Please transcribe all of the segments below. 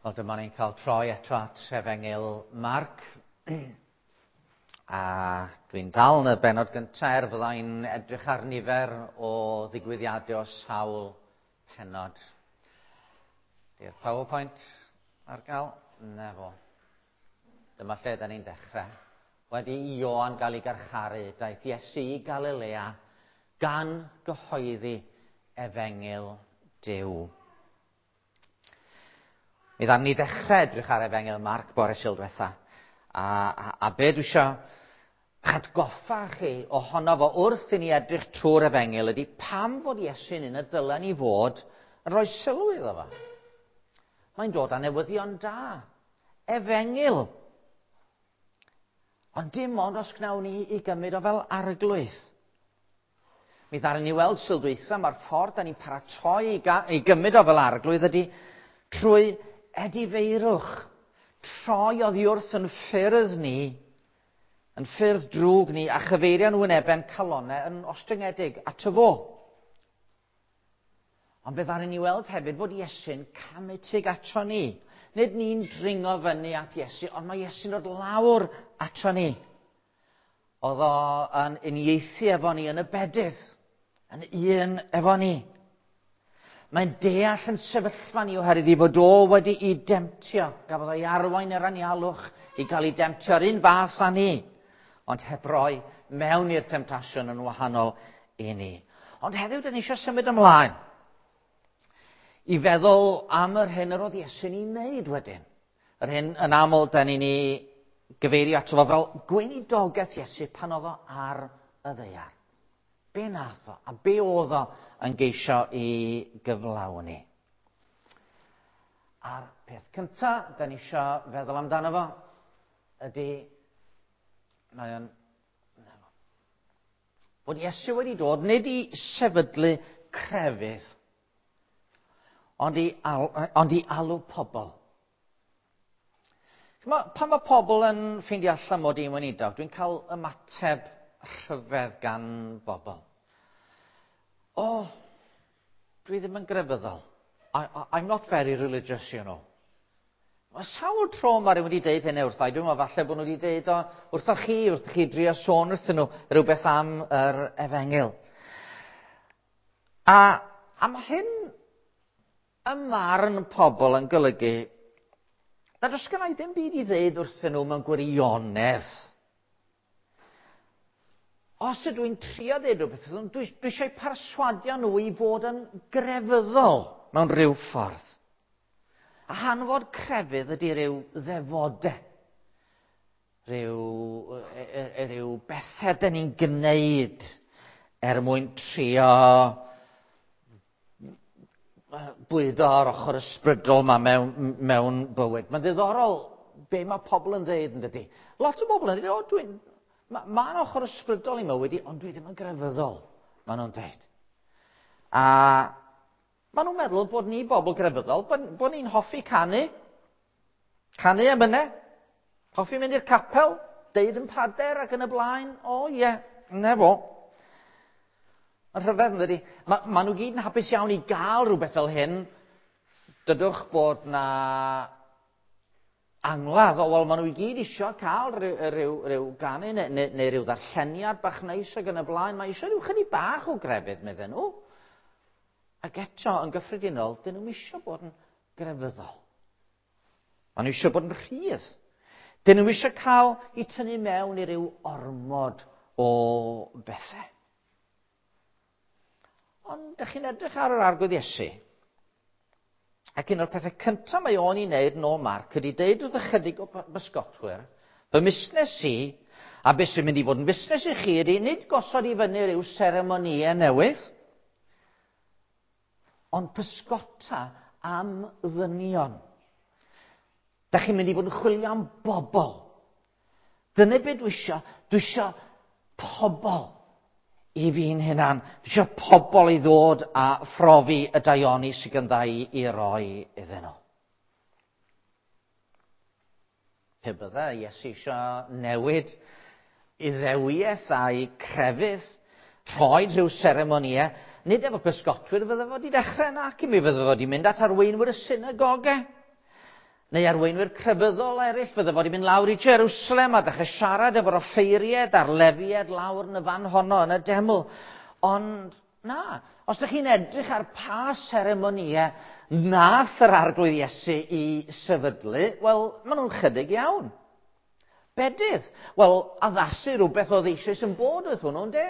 Wel, dyma ni'n cael troi eto at Efengyl Marc. A dwi'n dal yn y bennod gyntaf er fyddai'n edrych ar nifer o ddigwyddiadau o sawl pennod. Di'r PowerPoint ar gael? Na fo. Dyma lle da ni'n dechrau. Wedi i Ioan gael ei garcharu, daeth Iesu i Galilea gan gyhoeddi Efengyl Duw. Mi ddaru ni ddechrau edrych ar Efengyl Marc bore Sul diwetha. A, a, a be dwi eisiau atgoffa chi ohono fo wrth i ni edrych trwy'r Efengyl ydy pam fod Iesu'n un y dylen ni fod yn rhoi sylw iddo fo. Mae'n dod â newyddion da. Efengyl. Ond dim ond os gnawn ni i gymryd o fel arglwydd. Mi ddaru ni weld Sul dwytha, mae'r ffordd da ni'n paratoi i, i gymryd o fel arglwydd ydy trwy edifeirwch, troi oddi wrth yn ffyrdd ni, yn ffyrdd drwg ni, a chyfeirio'n wynebau'n calonau yn ostyngedig ato fo. Ond fe ddaru ni weld hefyd fod Iesu'n camu tuag ato ni. Nid ni'n dringo fyny at Iesu, ond mae Iesu'n dod lawr ato ni. Oedd o yn uniaethu efo ni yn y bedydd, yn un efo ni. Mae'n deall yn sefyllfa ni oherwydd i fod o wedi'i demtio. Gafodd o'i arwain yr anialwch i gael ei demtio yr un fath â ni, ond heb roi mewn i'r temtasiwn yn wahanol i ni. Ond heddiw, dyn ni eisiau symud ymlaen i feddwl am yr hyn yr oedd Iesu'n ei wneud wedyn. Yr hyn yn aml da ni'n ei gyfeirio ato fo fel gweinidogaeth Iesu pan oedd o ar y ddaear. Be nath o a be oedd o yn geisio i gyflawni? A'r peth cyntaf da ni eisiau feddwl amdano fo ydy, mae o'n bod Iesu wedi dod nid i sefydlu crefydd, ond i, al, ond i alw pobl. Ma, pan mae pobl yn ffeindio allan mod i'n weinidog, dwi'n cael ymateb rhyfedd gan bobl. O, oh, dwi ddim yn grefyddol. I'm not very religious, you know. Mae sawl tro mae rhywun wedi deud hynny wrtha i. Dwi'n meddwl falle bod nhw wedi deud o wrtho chi, wrth chi drio sôn wrthyn nhw rhywbeth am yr efengyl. A, a mae hyn ym marn pobl yn golygu nad oes gennau ddim byd i ddeud wrthyn nhw mewn gwirionedd. Os ydw i'n trio ddeud rhywbeth wrthyn nhw, dwi, dwi eisiau perswadio nhw i fod yn grefyddol mewn rhyw ffordd. A hanfod crefydd ydy rhyw ddefodau, rhyw, e, e, e, rhyw bethau dyn ni'n gwneud er mwyn trio bwydo ar ochr ysbrydol yma mewn, mewn bywyd. Mae'n ddiddorol be mae pobl yn dweud yn dydy. Lot o bobl yn dweud, o, dwi'n... Mae'n ma ochr ysbrydol i mywyd i, ond dwi ddim yn grefyddol, maen nhw'n dweud. A Maen nhw'n meddwl bod ni bobl grefyddol, bod, bod ni'n hoffi canu, canu emynau, hoffi mynd i'r capel, deud yn pader ac yn y blaen. O ie, yeah, na fo. Mae'n rhyfedd yn dydy. Ma, ma nhw gyd yn hapus iawn i gael rhywbeth fel hyn. Dydwch bod na angladd, o wel, maen nhw i gyd eisiau cael rhyw, rhyw, rhyw ganu neu, neu, neu rhyw ddarlleniad bach neis ac yn y blaen. Mae eisiau rhyw chydig bach o grefydd, medden nhw. Ac eto, yn gyffredinol, dyn nhw'n eisiau bod yn grefyddol. Maen nhw eisiau bod yn rhydd. Dyn nhw eisiau cael eu tynnu mewn i ryw ormod o bethau. Ond ydych chi'n edrych ar yr arglwydd Iesu, ac un o'r pethau cyntaf mae o'n ei wneud yn ôl Marc ydy deud wrth ychydig o bysgotwyr, fy musnes i, a beth sy'n mynd i fod yn busnes i chi ydy nid gosod i fyny rhyw seremonïau newydd, ond pysgota am ddynion. Da chi'n mynd i fod yn chwilio am bobl. Dyna beth dwi isio. Dwi isio pobl i fi'n hunan. Dwi isio pobl i ddod a phrofi y daioni sydd gandda i i roi iddyn nhw. Pe bydde Iesu eisiau newid Iddewiaeth a'i crefydd, rhoi rhyw seremonïau, nid efo pysgotwyr fydde fo wedi dechrau, nac i mi fydde fo wedi mynd at arweinwyr y synagogau. Neu arweinwyr crefyddol eraill, fydde fod i mynd lawr i Jerusalem a dechrau siarad efo'r offeiried a'r lefied lawr yn y fan honno yn y deml. Ond na, os ydych chi'n edrych ar pa seremonïau nath yr Arglwydd Iesu i sefydlu, wel, maen nhw'n chydig iawn. Bedydd. Wel, addasu rhywbeth oedd eisoes yn bod oedd hwnnw, ynde?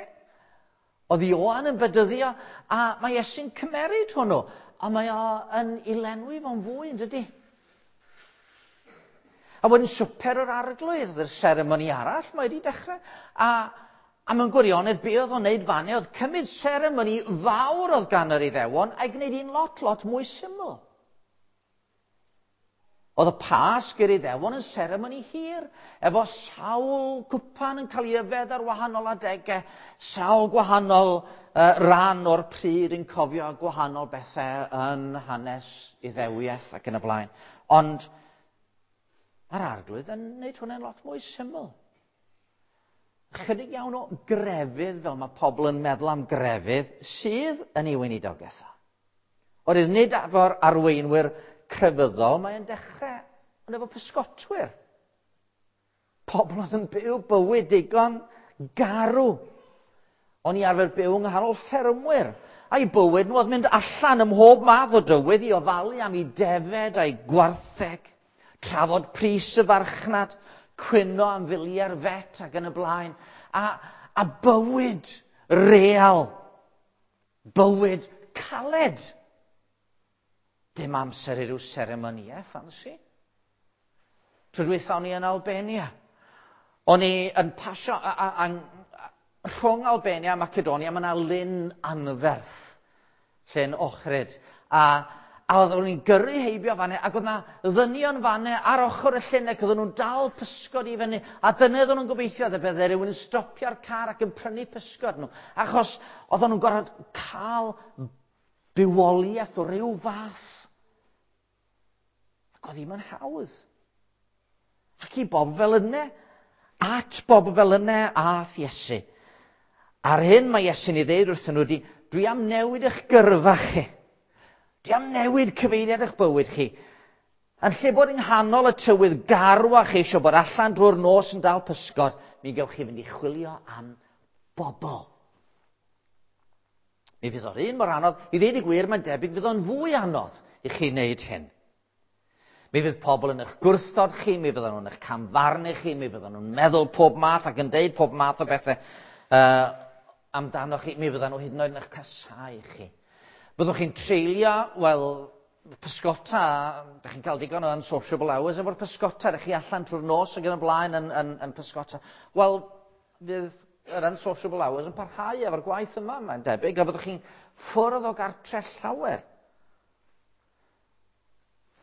Oedd Ioan yn bedyddio, a mae Iesu'n cymeryd hwnnw, a mae o yn ei lenwi fo'n fwy, yn dydy? A wedyn swper yr Arglwydd, yr seremoni arall, mae wedi dechrau. A mewn gwirionedd, be oedd o'n neud fanne oedd cymryd seremoni fawr oedd gan yr Iddewon a'i gwneud un lot, lot mwy syml. Oedd y Pasg i'r Iddewon yn seremoni hir, efo sawl cwpan yn cael ei yfed ar wahanol adegau, sawl gwahanol ran o'r pryd yn cofio gwahanol bethau yn hanes Iddewiaeth ac yn y blaen. Ond mae'r Arglwydd yn gwneud hwnna'n lot mwy syml. Chydig iawn o grefydd, fel mae pobl yn meddwl am grefydd, sydd yn ei weinidogaeth o. Oherwydd nid efo'r arweinwyr crefyddol, mae'n dechrau, ond efo pysgotwyr. Pobl oedd yn byw bywyd digon garw. O'n i arfer byw yng nghanol ffermwyr, a'i bywyd nhw oedd mynd allan ym mhob math o dywydd i ofalu am eu defed a'i gwartheg, trafod pris y farchnad, cwyno am filiau'r vet ac yn y blaen, a bywyd real, bywyd caled. Dim amser i ryw seremonïau ffansi. Tro dwytha o'n i yn Albania. O'n i yn pasio rhwng Albania a Macedonia, mae yna lyn anferth, llyn Ohrid. A oeddwn i'n gyrru heibio fanne, ac oedd yna ddynion fanne ar ochr y llyn, ac oedden nhw'n dal pysgod i fyny. A dyna oedden nhw'n gobeithio, oedd y bydde rhywun yn stopio'r car ac yn prynu pysgod nhw. Achos oedden nhw'n gorfod cael bywoliaeth o ryw fath. Ac oedd ddim yn hawdd. Ac i bob fel yna, at bob fel yna ath Iesu. A'r hyn mae Iesu'n ei ddeud wrthyn nhw ydi, dwi am newid eich gyrfa chi. Dwi am newid cyfeiriad eich bywyd chi. Yn lle bod yng nghanol y tywydd garw a chi eisiau bod allan drwy'r nos yn dal pysgod, mi gewch chi fynd i chwilio am bobl. Mi fydd o'r un mor anodd, i ddeud y gwir, mae'n debyg fydd o'n fwy anodd i chi wneud hyn. Mi fydd pobl yn eich gwrthod chi, mi fyddan nhw'n eich camfarnu chi, mi fyddan nhw'n meddwl pob math ac yn deud pob math o bethau amdano chi, mi fyddan nhw hyd yn oed yn eich casáu chi. Byddwch chi'n treulio, wel, pysgota, dych chi'n cael digon o unsociable hours efo'r pysgota, dych chi allan trwy'r nos ac yn y blaen yn pysgota. Wel, fydd yr unsociable hours yn parhau efo'r gwaith yma, mae'n debyg, a byddwch chi'n ffwrdd o gartre llawer.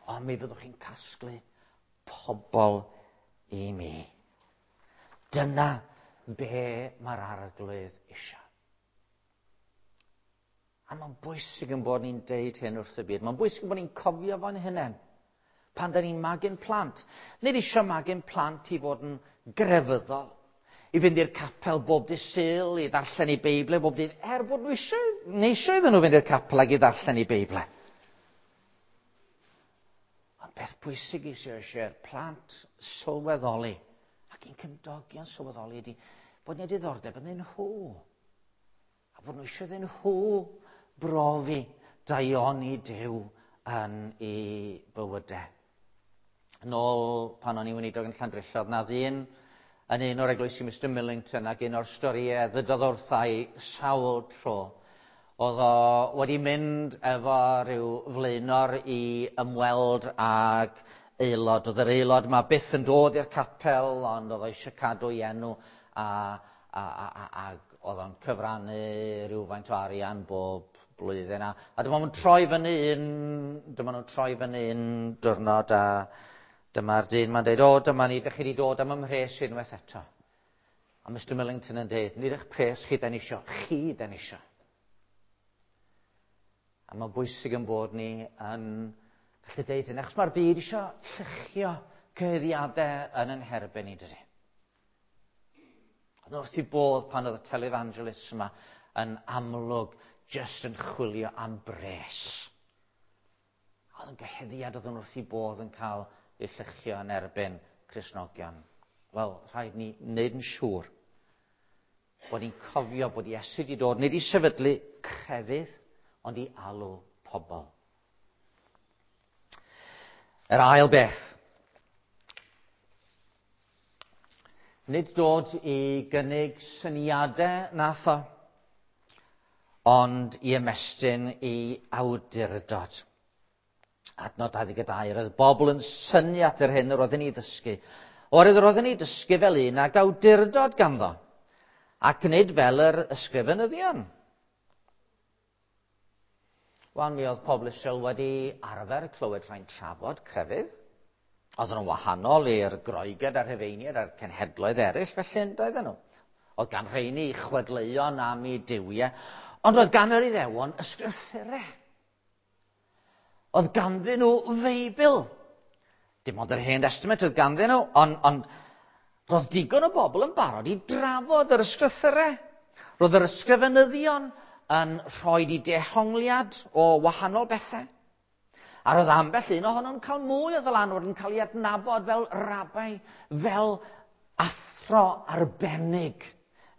Ond mi fyddwch chi'n casglu pobl i mi. Dyna be mae'r Arglwydd eisiau. A mae'n bwysig yn bod ni'n deud hyn wrth y byd. Mae'n bwysig yn bod ni'n cofio fo'n hunain. Pan da ni'n magu'n plant. Nid eisiau magu'n plant i fod yn grefyddol. I fynd i'r capel bob dydd Sul, i ddarllen eu Beiblau bob dydd. Er bod nhw eisiau, neu eisiau iddyn nhw fynd i'r capel ac i ddarllen eu Beiblau. Ond beth bwysig eisiau'r plant sylweddoli, ac i'n cymdogion sylweddoli ydy bod ni'n diddordeb yn nhw. A bod nhw eisiau iddyn nhw brofi daioni Duw yn eu bywydau. Yn ôl pan o'n i'n weinidog yn Llandrillo, oedd 'na ddyn yn un o'r eglwysi Mr Millington ac un o'r storïau ddydodd wrtha i sawl tro. Oedd o wedi mynd efo rhyw flaenor i ymweld ag aelod. Oedd yr aelod yma byth yn dod i'r capel, ond oedd o eisiau cadw ei enw a oedd o'n cyfrannu rhywfaint o arian bob blwyddyn. A dyma nhw'n troi fyny un, dyma nhw'n troi fyny un diwrnod a dyma'r dyn ma'n deud, o, dyma ni, dych chi wedi dod am 'y mhres unwaith eto. A Mr Millington yn deud, nid eich pres chi da ni isio, chi da ni isio. A mae'n bwysig yn bod ni yn gallu deud hyn, achos mae'r byd isio lluchio cyhuddiadau yn yn herbyn ni, dydy. Ond wrth i bodd pan oedd y televangelists yma yn amlwg jyst yn chwilio am bres. Oedd yn gyhuddiad oedd yn wrth i bodd yn cael i llychio yn erbyn Cristnogion. Wel, rhaid ni wneud yn siŵr bod ni'n cofio bod Iesu wedi dod nid i sefydlu crefydd, ond i alw pobl. Yr ail beth. Nid dod i gynnig syniadau nath o, ond i ymestyn i awdurdod. Adnod 22, roedd bobl yn synnu at yr hyn yr oedden ni ddysgu. Oherwydd yr oedden ni dysgu fel un ag awdurdod ganddo, ac nid fel yr ysgrifenyddion. Wel, mi oedd pobl Israel wedi arfer clywed rhai'n trafod crefydd. Oedden nhw'n wahanol i'r Groeged a'r Rhufeiniaid a'r cenhedloedd eraill, felly yn doedden nhw. Oedd gan rheini chwedleuon am eu duwiau, ond oedd gan yr Iddewon ysgrythurau. Oedd ganddyn nhw Feibl. Dim ond yr Hen Testament oedd ganddyn nhw, ond, ond roedd digon o bobl yn barod i drafod yr ysgrythurau. Roedd yr ysgrifenyddion yn rhoi i dehongliad o wahanol bethau. A roedd ambell un ohonyn nhw'n cael mwy o ddylanwad yn cael ei adnabod fel rabai, fel athro arbennig.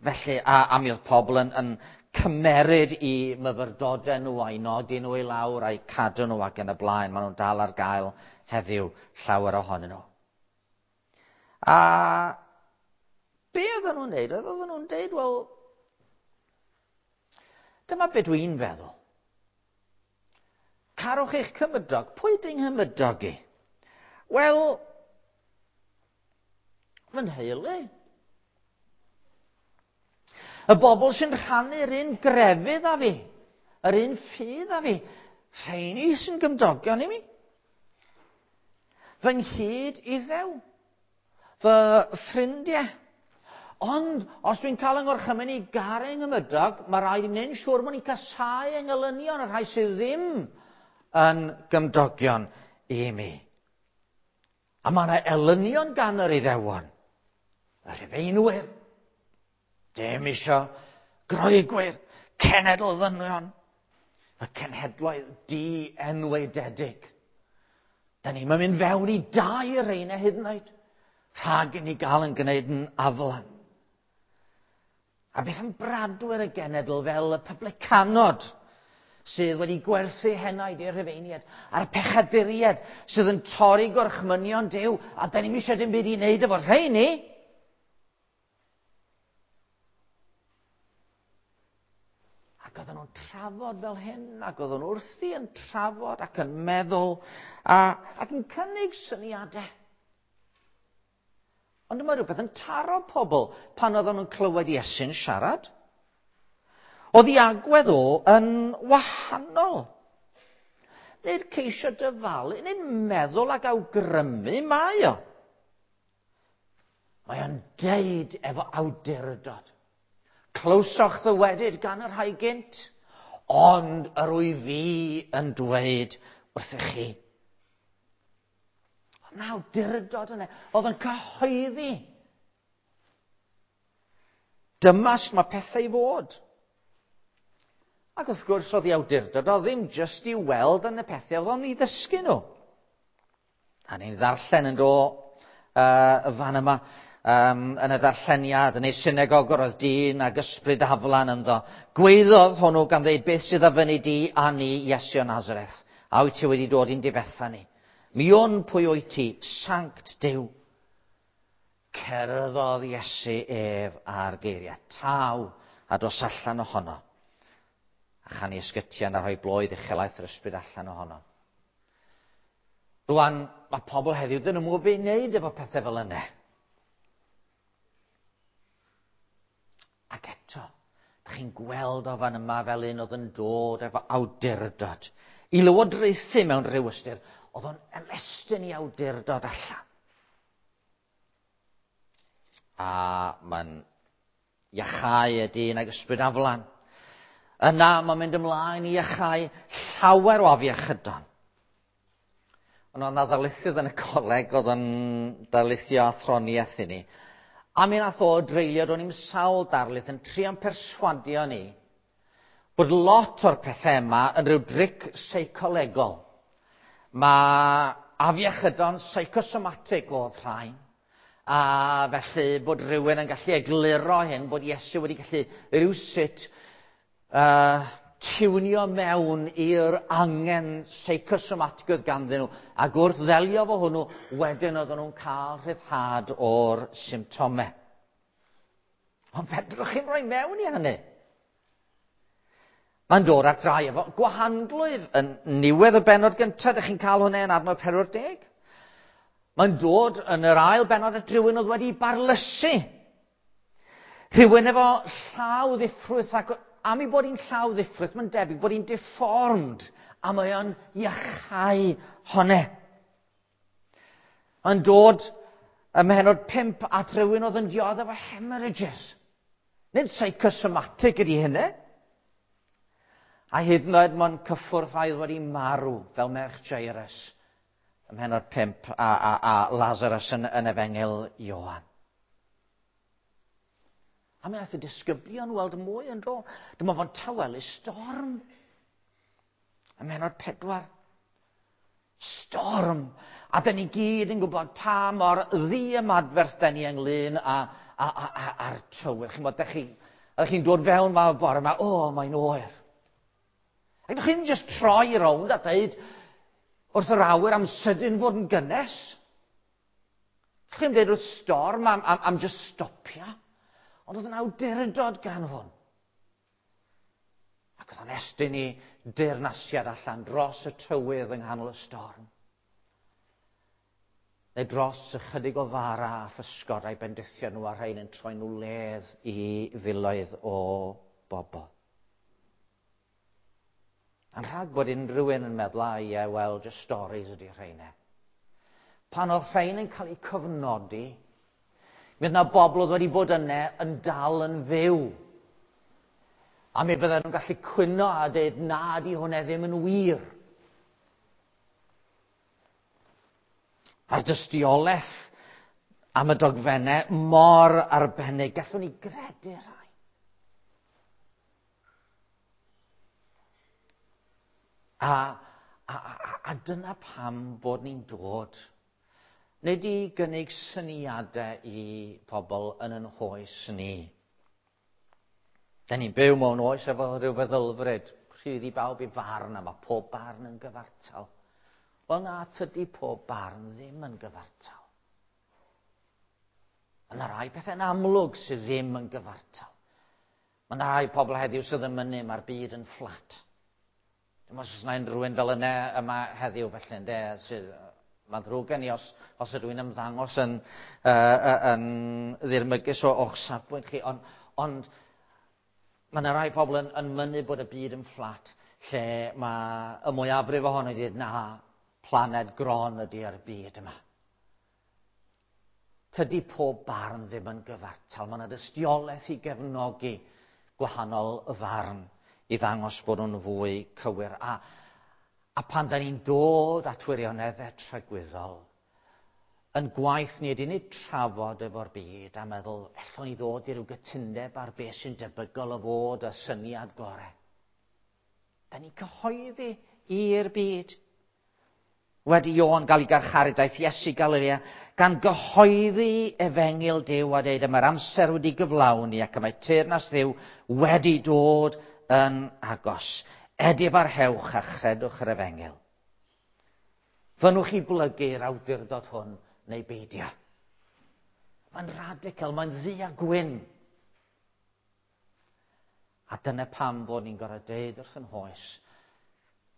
Felly, a, a mi oedd pobl yn, yn cymeryd i myfyrdodau nhw a'i nodi nhw i lawr a'i cadw nhw ac yn y blaen. Maen nhw'n dal ar gael heddiw llawer ohonyn nhw. A be oedden nhw'n neud? Oedden nhw'n deud, wel, dyma be dwi'n feddwl. Carwch eich cymydog. Pwy ydy nghymydog i? Wel, fy nheulu. Y bobl sy'n rhannu'r un grefydd â fi, yr un ffydd â fi, rheini sy'n gymdogion i mi. Fy nghyd iddew, fy ffrindiau. Ond, os dwi'n cael yng ngorchymyn i garu nghymydog, mae rhaid i mi wneud yn siŵr bod ni'n casáu engelynion y rhai sydd ddim yn gymdogion i mi. A mae yna elynion gan yr Iddewon, y Rhufeinwyr, dim isio Groegwyr, cenedl ddynion, y cenhedloedd di-enwaededig. Da ni'n mynd fewn i dau reina hyd yn oed, rhag i ni gael yn gwneud yn aflan. A beth am bradwyr y genedl fel y publicanod sydd wedi gwerthu henaid i'r Rhufeiniaid a'r pechaduriaid sydd yn torri gorchmynion Duw a da ni'm eisiau dim byd i wneud efo'r rheini. Ac oedden nhw'n trafod fel hyn, ac oedden nhw wrthi yn trafod ac yn meddwl a, ac yn cynnig syniadau. Ond mae rhywbeth yn taro pobl pan oedden nhw'n clywed Iesu'n siarad. Oedd ei agwedd o yn wahanol. Nid ceisio dyfalu, nid meddwl ac awgrymu mae o. Mae o'n deud efo awdurdod. Clywsoch ddywedyd gan y rhai gynt, ond yr wyf fi yn dweud wrthych chi. Oedd 'na awdurdod yna, oedd yn cyhoeddi. Dyma sut mae pethau i fod. Ac wrth gwrs, oedd ei awdurdod o ddim jyst i weld yn y pethau, oedd o'n i ddysgu nhw. A ni'n ddarllen yn do y fan yma, um, yn y darlleniad, yn ei synagog yr oedd dyn ag ysbryd aflan ynddo. Gweiddodd hwnnw gan ddeud, beth sydd a fyny di a ni, Iesu o Nazareth? A wyt ti wedi dod i'n difetha ni? Mi wn pwy wyt ti, sanct Duw. Cerddodd Iesu ef ar geiriau, taw, a dos allan ohono. A chan i ysgytian a rhoi bloedd uchelaeth yr ysbryd allan ohono. Rwan, mae pobl heddiw, dyn nhw'n gwybod beth i wneud efo pethau fel yna. Ac eto, da chi'n gweld o fan yma fel un oedd yn dod efo awdurdod. I lywodraethu mewn rhyw ystyr, oedd o'n ymestyn i awdurdod allan. A mae'n iachau y dyn ag ysbryd aflan. Yna mae'n mynd ymlaen i iachau llawer o afiechydon. Ond oedd 'na ddarlithydd yn y coleg oedd yn darlithio athroniaeth i ni. A mi nath o dreulio do'n i'm sawl darlith yn trio'n perswadio ni bod lot o'r pethau yma yn rhyw dric seicolegol. Mae afiechydon psychosomatic oedd rhain. A felly bod rhywun yn gallu egluro hyn, bod Iesu wedi gallu rhywsut tiwnio mewn i'r angen seicosomatig oedd ganddyn nhw. Ac wrth ddelio fo hwnnw, wedyn oedden nhw'n cael rhyddhad o'r symptomau. Ond fedrwch chi'n rhoi mewn i hynny? Mae'n dod at rai efo gwahanglwyf yn niwedd y bennod gyntaf, ydych chi'n cael hwnna yn adnod 40. Mae'n dod yn yr ail bennod at rhywun oedd wedi barlysu. Rhywun efo llaw ddiffrwyth, ac am ei bod hi'n llaw ddiffrwyth, mae'n debyg bod hi'n deformed, a mae o'n iachau honne. Mae'n dod ym mhennod 5 at rhywun oedd yn dioddef efo hemorrhages. Nid psychosomatic ydy hynny. A hyd yn oed mae'n cyffwrdd rhai oedd wedi marw fel merch Jairus ym mhennod 5 a Lazarus yn Efengyl Ioan. A mi wnaeth y disgyblion weld mwy yn do. Dyma fo'n tawelu storm. Ym mhennod 4. Storm. A dyn ni gyd yn gwybod pa mor ddiymadferth dyn ni ynglyn â'r tywydd. Chi'n bod, ydych chi'n dod fewn ma bore yma, o, mae'n oer. Ac ydych chi'n just troi rownd a dweud wrth yr awyr am sydyn fod yn gynnes. Ydych chi'n dweud wrth storm am just stopio. Ond oedd yn awdurdod gan hwn. Ac oedd o'n estyn i deyrnasiad allan dros y tywydd yng nghanol y storm. Neu dros ychydig o fara a physgod a'i bendithio nhw a rhain yn troi nhw ledd i filoedd o bobl. A'n rhag bod unrhyw un yn meddwl, a ie, wel, just stories ydy rheina. Pan oedd rhain yn cael eu cofnodi, mi oedd yna bobl oedd wedi bod yna yn dal yn fyw. A mi bydden nhw'n gallu cwyno a dweud, na, di hwnna ddim yn wir. A'r dystiolaeth am y dogfennau mor arbennig, gallwn ni gredu rhai. A dyna pam bod ni'n dod. Nid i gynnig syniadau i pobl yn yn hoes ni. Da ni'n byw mewn oes efo rhyw feddylfryd, rhydd i bawb i farn a mae pob barn yn gyfartal. Wel na, tydi pob barn ddim yn gyfartal. Mae yna rai pethau'n amlwg sydd ddim yn gyfartal. Mae yna rai pobl heddiw sydd yn mynnu mae'r byd yn fflat. Dim os oes yna unrhyw un fel yna yma heddiw felly, ynde, sydd, mae'n ddrwg gen i os ydw i'n ymddangos yn ddirmygus o'ch safbwynt chi, ond mae yna rai pobl yn mynnu bod y byd yn fflat, lle mae y mwyafrif ohono wedi dweud, na, planed gron ydy'r byd yma. Tydi pob barn ddim yn gyfartal. Mae yna dystiolaeth i gefnogi gwahanol farn i ddangos bod nhw'n fwy cywir. A pan da ni'n dod at wirioneddau tragwyddol, yn gwaith ni ydy nid trafod efo'r byd a meddwl, allwn ni ddod i ryw gytundeb ar beth sy'n debygol o fod y syniad gorau. Da ni'n cyhoeddi i'r byd. Wedi Ioan gael ei garcharu, daeth Iesu Galilea, gan gyhoeddi efengyl Duw a dweud, mae'r amser wedi gyflawni ac y mae teyrnas Dduw wedi dod yn agos. Edifarhewch a chredwch yr efengyl. Fynnwch chi blygu'r awdurdod hwn neu beidio. Mae'n radical, mae'n ddu a gwyn. A dyna pam bod ni'n gorfod deud wrth yn hoes,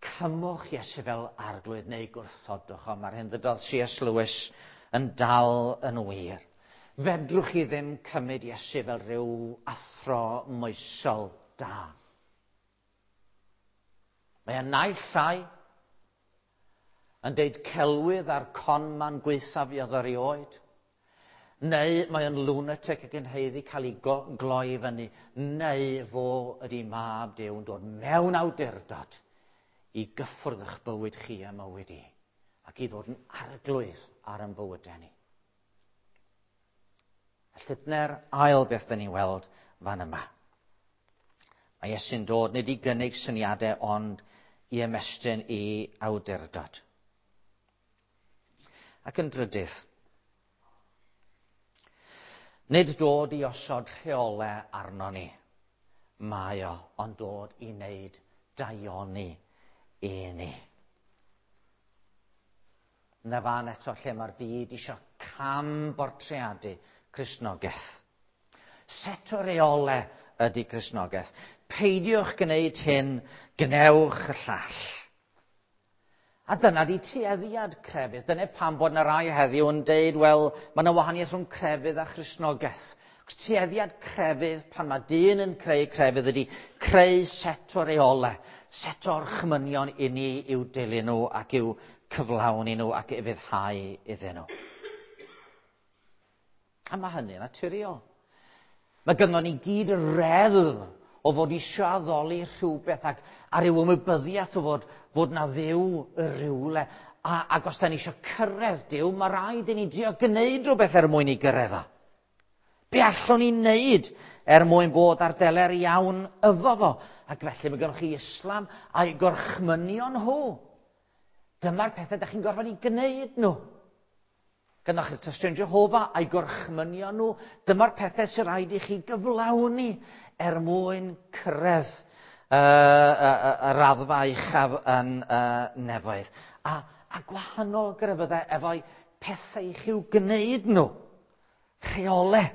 cymwch Iesu fel arglwydd neu gwrthodwch, ond mae'r hyn ddydodd C.S. Lewis yn dal yn wir. Fedrwch chi ddim cymryd Iesu fel rhyw athro moesol da. Mae e naill ai yn deud celwydd a'r conman gwaethaf fuodd erioed, neu mae o'n lunatic ac yn haeddu cael ei gloi fyny, neu fo ydy mab Duw yn dod mewn awdurdod i gyffwrdd eich bywyd chi a mywyd i, ac i ddod yn arglwydd ar ein bywydau ni. Felly dyna'r ail beth dyn ni'n weld fan yma. Mae Iesu'n dod nid i gynnig syniadau ond i ymestyn i awdurdod. Ac yn drydydd, nid dod i osod rheolau arno ni, mae o, ond dod i wneud daioni i ni. Na fan eto lle mae'r byd eisiau cam bortreadu Cristnogaeth. Set o reolau ydy Cristnogaeth. Peidiwch gwneud hyn, gwnewch y llall. A dyna di tueddiad crefydd. Dyna pam bod yna rai heddiw yn deud, wel, mae yna wahaniaeth rhwng crefydd a Christnogaeth. Cos tueddiad crefydd, pan mae dyn yn creu crefydd, ydy creu set o reolau, set o orchmynion i ni i'w dilyn nhw ac i'w cyflawni nhw ac ufuddhau iddyn nhw. A mae hynny'n naturiol. Mae gynnon ni gyd reddf o fod eisiau addoli rhywbeth ac a ryw ymwybyddiaeth o fod, fod na Dduw y rhywle. A, ac os da ni eisiau cyrraedd Duw, mae rhaid i ni drio gwneud rhywbeth er mwyn i gyrraedd o. Be allwn ni wneud er mwyn bod ar deler iawn efo fo? Ac felly mae gennych chi Islam a'i gorchmynion nhw. Dyma'r pethau da chi'n gorfod i gwneud nhw. Gynnwch chi'r Tystion Jehofa a'i gorchmynion nhw. Dyma'r pethau sy'n rhaid i chi gyflawni er mwyn cyrraedd y raddfa uchaf yn nefoedd. A, a gwahanol grefyddau efo'i pethau i chi'w gwneud nhw. Rheolau.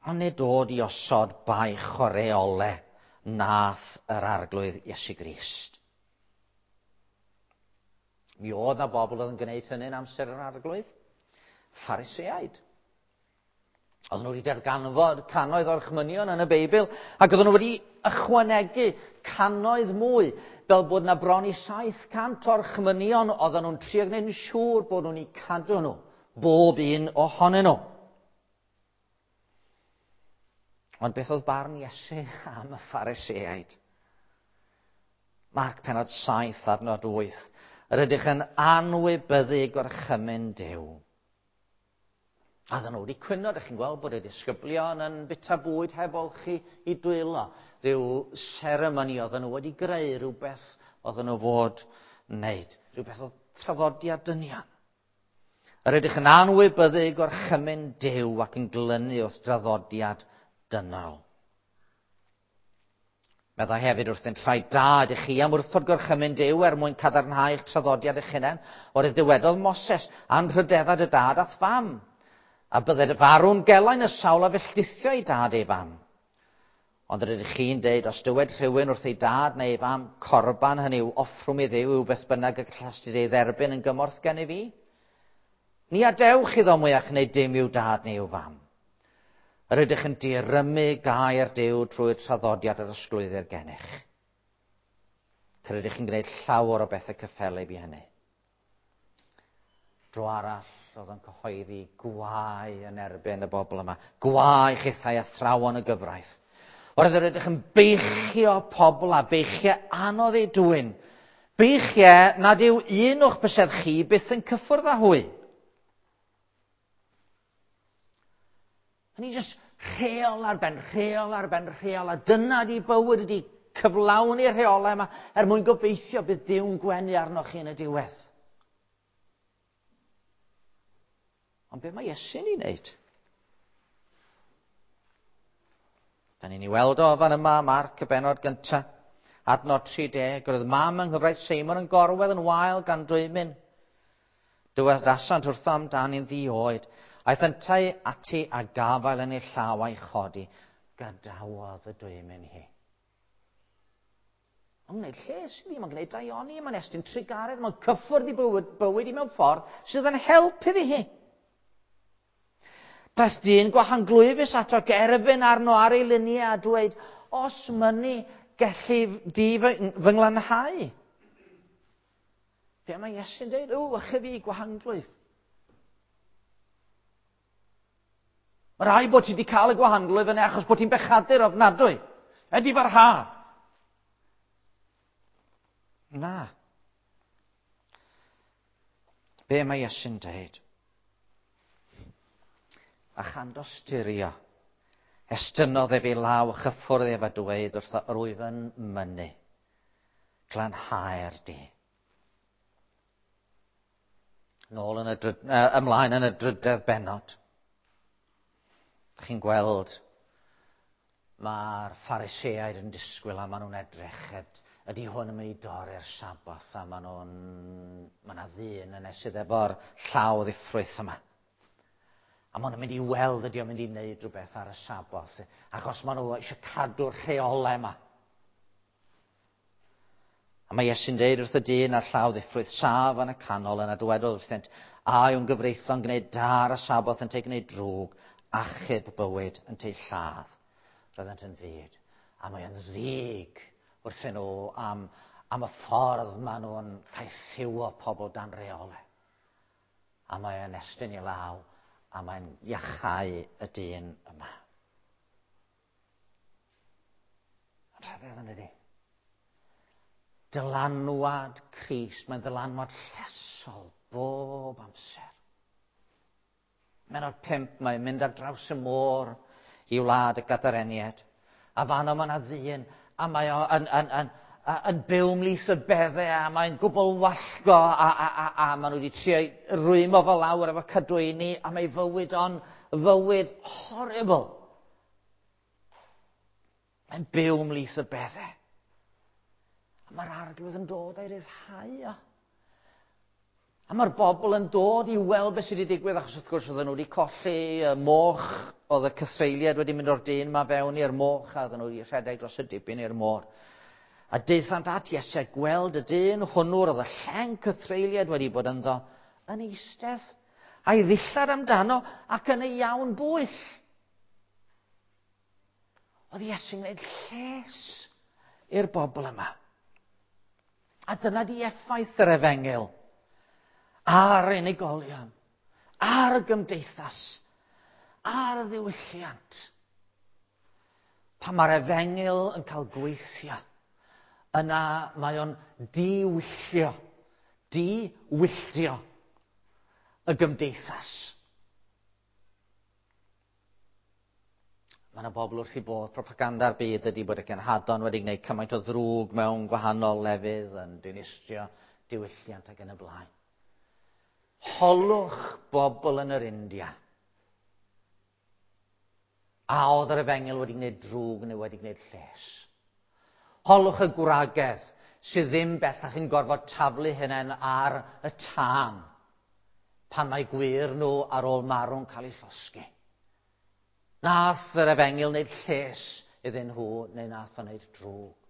Ond nid dod i osod baich o reolau nath yr Arglwydd Iesu Grist. Mi oedd na bobl oedd yn gwneud hynny'n amser yr Arglwydd. Phariseaid. Oedden nhw wedi darganfod cannoedd o'r chmynion yn y Beibl, ac oedden nhw wedi ychwanegu cannoedd mwy, fel bod na bron i 700 o'r chmynion oedden nhw'n trio gwneud yn siŵr bod nhw'n eu cadw nhw, bob un ohonyn nhw. Ond beth oedd barn Iesu am y Phariseaid? Marc penod 7 adnod 8. Yr ydych yn anwybyddu gorchymyn Duw. A oedden nhw wedi cwyno, ydych chi'n gweld bod y disgyblion yn bita bwyd heb olchi i dwylo. Rhyw seremoni oedden nhw wedi greu, rhywbeth oedden nhw fod wneud. Rhywbeth oedd traddodiad dynion. Yr ydych yn anwybyddu gorchymyn Duw ac yn glynu wrth draddodiad dynol. Meddai hefyd wrthynt, rhaid da ydych chi am wrthod gorchymyn Duw er mwyn cadarnhau eich traddodiad eich hunain, oherwydd dywedodd Moses, anrhydedda dy dad a'th fam, a bydded farw'n gelain y sawl a felldithio ei dad ei fam. Ond yr ydych chi'n deud, os dywed rhywun wrth ei dad neu ei fam, corban, hynny yw offrwm i Dduw yw beth bynnag y gallastid ei dderbyn yn gymorth gen i fi, ni adewch iddo mwyach wneud dim i'w dad neu i'w fam. Yr ydych yn dirymu gair Duw trwy'r traddodiad yr ysglwyddir gennych. Yr ydych chi'n gwneud llawer o bethau cyffelyb i hynny. Dro arall, oedd yn cyhoeddi gwae yn erbyn y bobl yma. Gwae chithau athrawon y gyfraith. Oherwydd yr ydych yn beichio pobl a beichiau anodd eu dwyn. Beichiau nad yw un o'ch bysedd chi byth yn cyffwrdd â hwy. Hynny jyst rheol ar ben rheol ar ben rheol, a dyna di bywyd ydi cyflawni'r rheolau yma er mwyn gobeithio bydd Duw'n gwenu arnoch chi yn y diwedd. Ond be mae Iesu'n ei wneud? Da ni'n ei weld o fan yma, Marc y benod gyntaf, adnod 30, roedd mam yng nghyfraith Seimon yn gorwedd yn wael gan dwymyn. Dywedasant wrtho amdani'n ddi-oed. Aeth yntau ati a gafael yn ei llaw a'i chodi. Gadawodd y dwymyn hi. Mae'n gwneud lles iddi, mae'n gwneud daioni, mae'n estyn trugaredd, mae'n cyffwrdd i bywyd, bywyd i mewn ffordd sydd yn help iddi hi. Daeth dyn gwahanglwyfus ato gerfyn arno ar ei luniau a dweud, os mynnu, gellu di fy, fy nglanhau. Be mae Iesu'n dweud? O, ych fi gwahanglwyf. Mae rhaid bod ti wedi cael y gwahanglwyf yna achos bod ti'n bechadur ofnadwy. Ydy farha. Na. Be mae Iesu'n dweud? A chan dosturio, estynnodd ef ei law a chyffwrdd ef a dweud wrtho, yr wyf yn mynnu, glanhau'r di. Nôl yn y dryd, ymlaen yn y drydedd bennod. Chi'n gweld mae'r Phariseaid yn disgwyl a maen nhw'n edrych ydy hwn yn mynd i dorri'r Saboth a maen nhw'n mae yna ddyn yn esydd efo'r llaw ddiffrwyth yma. A maen nhw'n mynd i weld ydy o'n mynd i wneud rhywbeth ar y Saboth, achos maen nhw eisiau cadw'r rheolau yma. A mae Iesu'n deud wrth y dyn a'r llaw ddiffrwyth saf yn y canol yna dywedodd wrthynt, a yw'n gyfreithlon gwneud da ar y Saboth yn te gwneud drwg, achub bywyd yn te lladd. Roeddent yn fyd. A mae o'n ddig wrthyn nhw am, am y ffordd maen nhw'n caethiwo pobl dan reolau. A mae o'n estyn i law a mae'n iachau y dyn yma. Yn rhyfedd yn ydy. Dylanwad Crist, mae'n ddylanwad llesol bob amser. Mennod 5, mae'n mynd ar draws y môr i wlad y Gadareniad. A fanno mae yna ddyn, a mae o yn, yn, yn, yn byw ymhlith y beddau, a mae'n gwbl wallgo, a, a, a, a maen nhw wedi trio rwymo fo lawr efo cadwyni, a mae fywyd o'n fywyd horrible. Mae'n byw ymhlith y beddau. A mae'r arglwydd yn dod a'i ryddhau o. A mae'r bobl yn dod i weld beth sydd wedi digwydd, achos wrth gwrs oedden nhw wedi colli y moch, oedd y cythreuliad wedi mynd o'r dyn ma fewn i'r moch, a oedden nhw wedi rhedeg dros y dibyn i'r môr. A daethant at Iesu a gweld y dyn hwnnw, oedd y lleng cythreuliad wedi bod ynddo, yn eistedd, a'i ddillad amdano ac yn ei iawn bwyll. Oedd Iesu'n gwneud lles i'r bobl yma. A dyna di effaith yr efengyl ar unigolion, ar y gymdeithas, ar y ddiwylliant. Pan mae'r efengyl yn cael gweithio, yna mae o'n diwyllio, diwylltio y gymdeithas. Mae yna bobl wrth i bodd propaganda'r byd ydy bod y cenhadon wedi gwneud cymaint o ddrwg mewn gwahanol lefydd yn dinistrio diwylliant ac yn y blaen. Holwch bobl yn yr India. A oedd yr efengyl wedi gwneud drwg neu wedi gwneud lles? Holwch y gwragedd sydd ddim bellach yn gorfod taflu hynny ar y tân pan mae gwir nhw ar ôl marw'n cael eu llosgi. Nath yr efengyl wneud lles iddyn nhw neu nath o wneud drwg.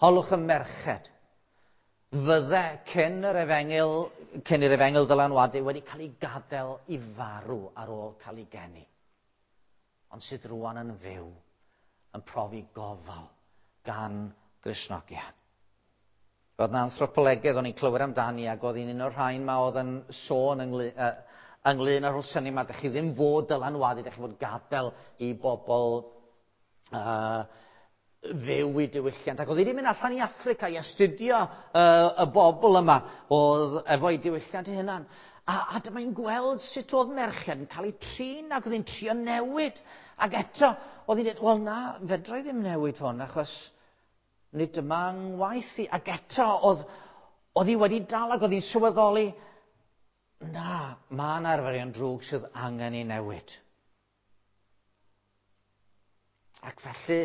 Holwch y merched fydde cyn yr efengyl, cyn i'r efengyl ddylanwadu wedi cael ei gadael i farw ar ôl cael ei geni. Ond sydd rwan yn fyw, yn profi gofal gan Gristnogion. Roedd yna anthropolegydd o'n i'n clywed amdani ac oedd hi'n un o'r rhain ma oedd yn sôn ynglyn, ynglyn â'r syniad yma, dych chi ddim fod dylanwadu, dych chi fod gadael i bobl fyw i diwylliant. Ac oedd hi wedi mynd allan i Affrica i astudio y bobl yma oedd efo'i diwylliant ei hunan. A, a dyma hi'n gweld sut oedd merched yn cael eu trin ac oedd hi'n trio newid. Ac eto, oedd hi'n dweud, wel na, fedra i ddim newid hwn achos nid dyma ngwaith i. Ac eto, oedd, oedd hi wedi dal ac oedd hi'n sylweddoli, na, mae yna arferion drwg sydd angen ei newid. Ac felly,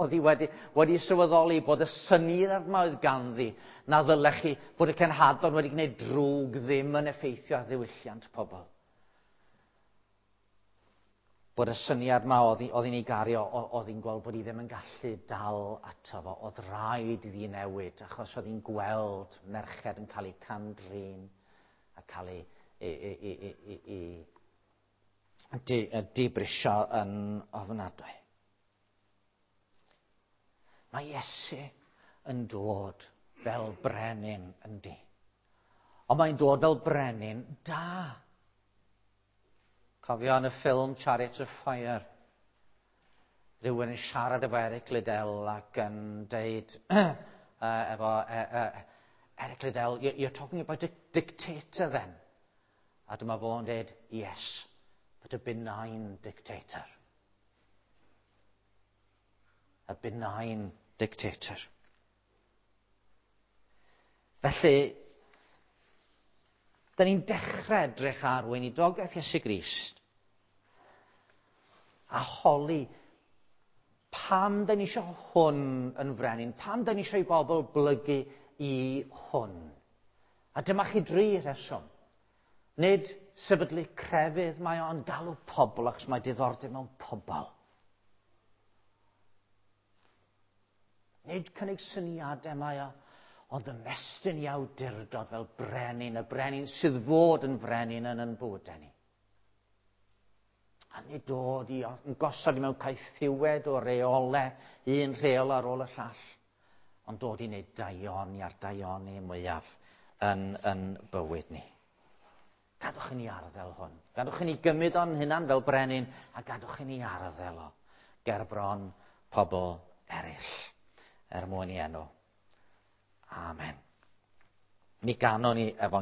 oedd hi wedi, wedi sylweddoli bod y syniad yma oedd ganddi, na ddylech chi bod y cenhadon wedi gwneud drwg ddim yn effeithio ar ddiwylliant pobl. Bod y syniad yma oedd, oedd hi'n ei gario, oedd hi'n gweld bod hi ddim yn gallu dal ato fo. Oedd rhaid iddi newid, achos oedd hi'n gweld merched yn cael eu cam-drin a cael eu, ei, ei, ei, ei, ei, di, dibrisio yn ofnadwy. Mae Iesu yn dod fel brenin yndi. Ond mae'n dod fel brenin da. Cofio yn y ffilm Chariots of Fire, rhywun yn siarad efo Eric Liddell ac yn deud efo Eric Liddell, you're talking about a dictator then. A dyma fo'n deud, yes, but a benign dictator. A benign dictator. Felly, Da ni'n dechrau edrych ar weinidogaeth Iesu Grist a holi pam da ni eisiau hwn yn frenin, pam da ni eisiau i bobl blygu i hwn. A dyma chi dri rheswm. Nid sefydlu crefydd mae o'n galw pobl achos mae diddordeb mewn pobl. Nid cynnig syniadau mae o, ond ymestyn i awdurdod fel brenin, y brenin sydd fod yn frenin yn bywydau ni. A nid dod i yn gosod i mewn caethiwed o reolau, un rheol ar ôl y llall, ond dod i wneud daioni a'r daioni mwyaf yn bywyd ni. Gadwch i ni arddel hwn. Gadwch i ni gymryd o'n hunan fel brenin, a gadwch i ni arddel o gerbron pobl eraill, er mwyn i enw. Amen. Mi ganon ni efo'n